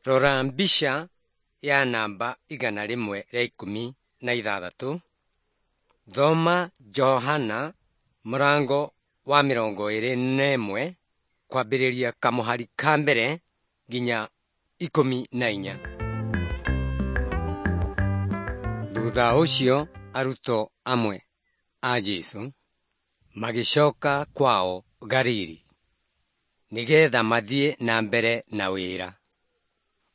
Rora mbica ya namba 116. Thoma Johana mũrango wa 21 kwambĩrĩria kamũhari ka mbere nginya 14. Thutha ũcio arutwo amwe a Jesũ magĩcoka kwao Galili nĩgetha mathiĩ na mbere na wĩra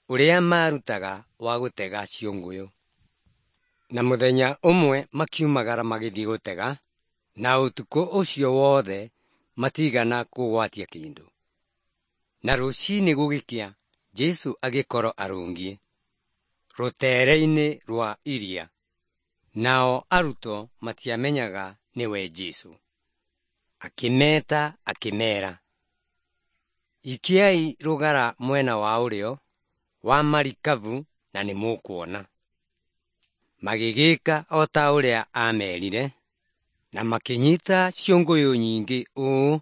ũrĩa maarutaga wa gũtega ciũngũyũ. Na mũthenya ũmwe makiumagara magĩthiĩ gũtega, na ũtukũ ũcio wothe matigana kũgwatia kĩndũ. Na rũcinĩ gũgĩkĩa, Jesũ agĩkorwo arũngiĩ rũteere-inĩ rwa iria, nao arutwo matiamenyaga nĩwe Jesũ. Akĩmeeta akĩmeera, “Ikiai rũgara mwena wa ũrĩo wa marikabu na nĩmũkuona.” Magĩgĩka o ta ũrĩa aamerire, na makĩnyita ciũngũyũ nyingĩ ũũ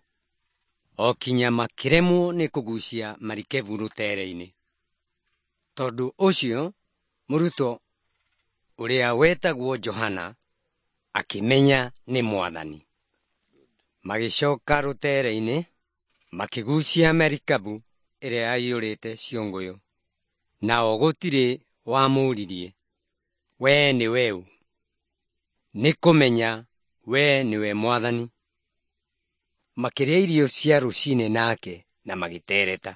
o kinya makĩremwo nĩ kũgucia marikabu rũteere-inĩ. Tondũ ũcio mũrutwo ũrĩa wetagwo Johana akĩmenya nĩ Mwathani. Magĩcoka rũteere-inĩ, makĩgucia marikabu ĩrĩa yaiyũrĩte ciũngũyũ. Nao gũtirĩ wamũũririe, “Wee nĩwe ũ?” Nĩ kũmenya we nĩwe Mwathani. Makĩrĩa irio cia rũcinĩ nake na magĩtereta.